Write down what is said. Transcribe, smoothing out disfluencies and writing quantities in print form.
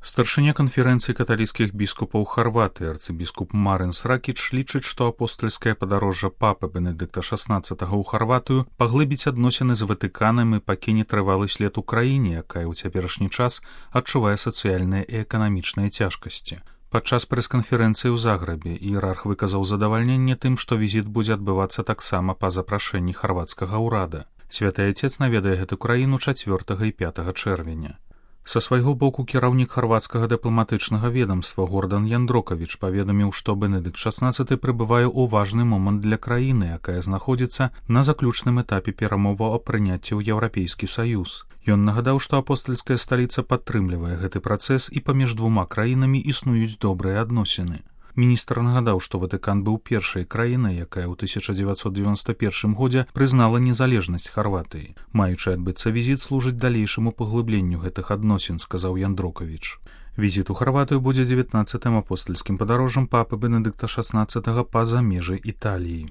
Старшыня канферэнцыі каталіцкіх біскупаў Харватыі арцыбіскуп Марын Сракіч лічыць, што апостальскае падарожжа папы Бенедыкта XVI ў Харватыю паглыбіць адносіны з Ватыканам і пакіне трывалы след у краіне, якая ў цяперашні час адчувае сацыяльныя і эканамічныя цяжкасці. Падчас прэс-канферэнцыі ў Загрэбе іерарх выказаў задавальненне тым, што візіт будзе адбывацца таксама па запрашэнні харвацкага ўрада. Святы Айцец наведае гэту краіну 4 і 5 чэрвеня. Са свайго боку кіраўнік харвацкага дыпламатычнага ведамства Гордан Яндрокавіч паведаміў, што Бенедыкт XVI прыбывае ў важны момант для краіны, якая знаходзіцца на заключным этапе перамоваў аб прыняцці ў Еўрапейскі Саюз. Ён нагадаў, што апостальская сталіца падтрымлівае гэты працэс і паміж двума краінамі існуюць добрыя адносіны. Міністр нагадаў, што Ватыкан быў першай краінай, якая ў 1991 годзе прызнала незалежнасць Харватыі. Маючы адбыцца візіт служыць далейшаму паглыбленню гэтых адносін, сказаў Яндрокавіч. Візіт у Харватыю будзе 19-м апостальскім падарожжам папы Бенедыкта XVI па-за межы Італіі.